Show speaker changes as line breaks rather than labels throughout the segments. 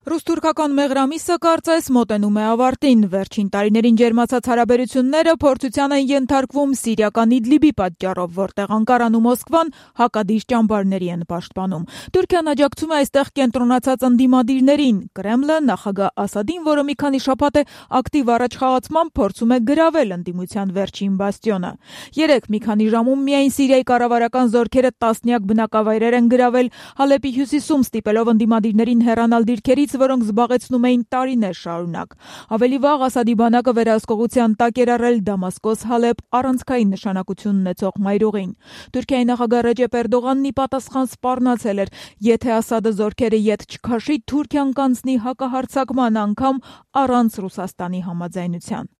Ռուս-թուրքական մեղրամիսը կարծես մոտենում է ավարտին։ Վերջին տարիներին ջերմացած հարաբերությունները փորձության են ենթարկվում սիրիական Իդլիբի պատճառով, որտեղ Անկարան ու Մոսկվան հակադիր ճամբարների են պաշտպանում։ Թուրքիան աջակցում է այստեղ կենտրոնացած ընդդիմադիրներին։ Կրեմլը նախագահ Ասադին, որը մի քանի շաբաթ է ակտիվ առաջխաղացմամբ փորձում է գրավել ընդդիմության վերջին բաստիոնը։ Երեկ մի քանի ժամում միայն Սիրիայի կառավարական զորքերը տասնյակ բնակավայրեր են գրավել, Հալեպի հյուսիսում ստիպելով ընդդիմադիրներին հեռանալ դիրքերից, որոնք զբաղեցնում էին տարիներ շարունակ։ Ավելի վաղ Ասադի բանակը վերահսկողության տակ էր առել Դամասկոս-Հալեպ առանցքային նշանակություն ունեցող մայրուղին։ Թուրքիայի նախագահ Ռեջեփ Էրդողանն ի պատասխան սպառնացել էր, եթե Ասադը զորքերը ետ չքաշի, Թուրքիան կանցնի հակահարձակման անգամ առանց Ռուսաստանի համաձայնության։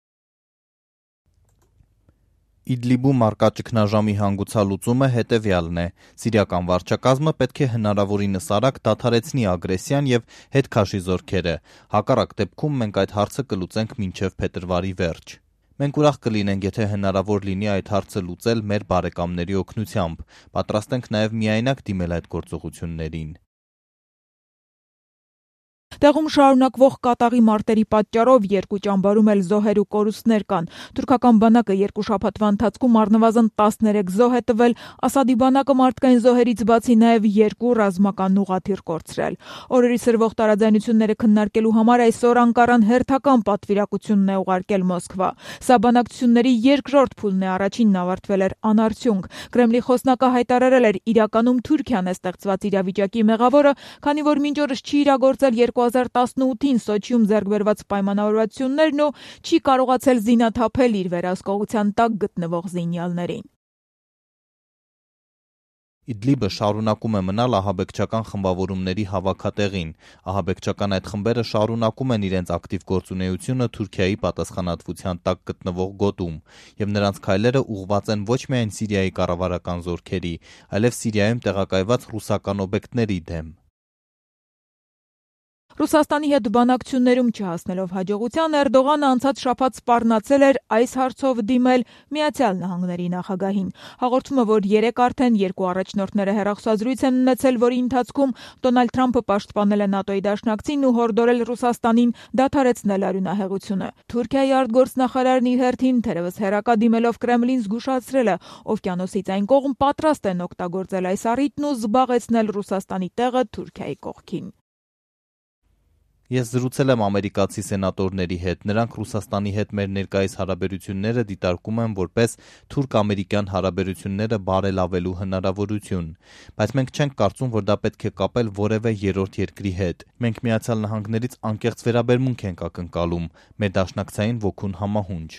Իդլիբում առկա ճգնաժամի հանգուցալուծումը հետևյալն է. Սիրիական վարչակազմը պետք է հնարավորինս արագ դադարեցնի ագրեսիան եւ հետ քաշի զորքերը։ Հակառակ դեպքում մենք այդ հարցը կլուծենք մինչեւ փետրվարի վերջ։ Մենք ուրախ կլինենք, եթե հնարավոր լինի այդ հարցը լուծել մեր բարեկամների օգնությամբ։ Պատրաստ ենք նաեւ միայնակ դիմել այդ գործողություններին։
Տեղում շարունակվող կատաղի մարտերի պատճառով երկու ճամբարում էլ զոհեր ու կորուստներ կան։ Թուրքական բանակը երկու շաբաթվա ընթացքում առնվազն 13 զոհ է տվել, Ասադի բանակը մարդկային զոհերից բացի նաև 2 ռազմական ուղղաթիռ կորցրել։ Օրերի սրվող տարաձայնությունները քննարկելու համար այսօր Անկարան հերթական պատվիրակությունն է ուղարկել Մոսկվա։ Սա բանակցությունների երկրորդ փուլն է, առաջինն ավարտվել էր անարդյունք։ Կրեմլի խոսնակը հայտարարել էր, իրականում Թուրքիան է ստեղծված իրավիճակի մեղավորը, քանի որ մինչ օրս չի իրագործել 2018-ին Սոչիում ձեռք բերված պայմանավորվածություններն ու չի կարողացել զինաթափել իր վերահսկողության տակ գտնվող զինյալներին։
Իդլիբը շարունակում է մնալ ահաբեկչական խմբավորումների հավաքատեղին։ Ահաբեկչական այդ խմբերը շարունակում են իրենց ակտիվ գործունեությունը Թուրքիայի պատասխանատվության տակ գտնվող գոտում, եւ նրանց քայլերը ուղղված են ոչ միայն Սիրիայի կառավարական զորքերի, այլև Սիրիայում տեղակայված ռուսական օբյեկտների դեմ։
Ռուսաստանի հետ բանակցություններում չհասնելով հաջողության, Էրդողանը անցած շաբաթ սպառնացել էր այս հարցով դիմել Միացյալ Նահանգների նախագահին։ Հաղորդումը, որ երեկ արդեն երկու առաջնորդները հեռախոսազրույց են ունեցել, որի ընթացքում Դոնալդ Թրամփը պաշտպանել է ՆԱՏՕ-ի դաշնակցին ու հորդորել Ռուսաստանին դադարեցնել արյունահեղությունը։ Թուրքիայի արտգործնախարարն իր հերթին թերևս հեռակա դիմելով Կրեմլին զգուշացրել է, օվկիանոսից այն կողմ պատրաստ են օգտագործել այս առիթն ու զբաղեցնել Ռուսաստանի տեղը Թուրքիայի կողքին։
Ես զրուցել եմ ամերիկացի սենատորների հետ, նրանք Ռուսաստանի հետ մեր ներկայիս հարաբերությունները դիտարկում են որպես թուրք-ամերիկյան հարաբերությունները բարելավելու հնարավորություն, բայց մենք չենք կարծում, որ դա պետք է կապել որևէ երրորդ երկրի հետ։ Մենք Միացյալ Նահանգներից անկեղծ վերաբերմունք ենք ակնկալում, մեր դաշնակցային ոգուն համահունչ։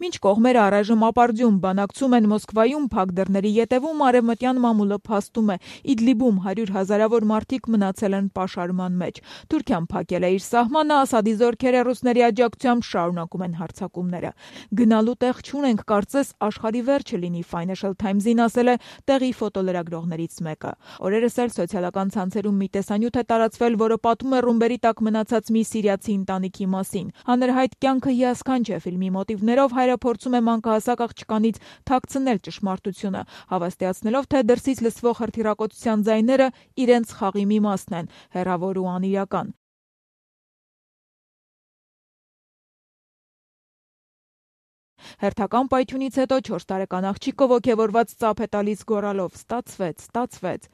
Մինչ կողմերը առայժմ ապարդյուն բանակցում են Մոսկվայում, փակ դռների ետևում արևմտյան մամուլը փաստում է. Իդլիբում 100 հազարավոր մարդիկ մնացել են պաշարման մեջ։ Թուրքիան փակել է իր սահմանը, Ասադի զորքերը ռուսների աջակցությամբ շարունակում են հարձակումները։ Գնալու տեղ չունենք, կարծես աշխարհի վերջը լինի, Financial Times-ին ասել է տեղի ֆոտոլրագրողներից մեկը։ Օրերս էլ սոցիալական ցանցերում մի տեսանյութ է տարածվել, որը պատմում է ռումբերի տակ մնացած մի սիրիացի ընտանիքի մասին։ Հանրահայտ կյանքը հիասքանչ է ֆիլմի մոտիվներով, հայրը փորձում է մանկահասակ աղջկանից թաքցնել ճշմարտությունը, հավաստիացնելով, թե դրսից լսվող հրթիռակոծության ձայները իրենց խաղի մի մասն են, հեռավոր ու անիրական։ Հերթական պայթյունից հետո 4 տարեկան աղջիկը ոգևորված ծափ է տալիս գոռալով. ստացվեց։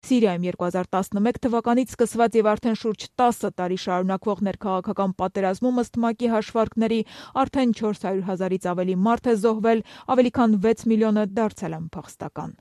Սիրիայում 2011 թվականից սկսված եւ արդեն շուրջ 10 տարի շարունակվող ներքաղաքական պատերազմում ըստ ՄԱԿ-ի հաշվարկների արդեն 400 հազարից ավելի մարդ է զոհվել, ավելի քան 6 միլիոնը դարձել են փախստական։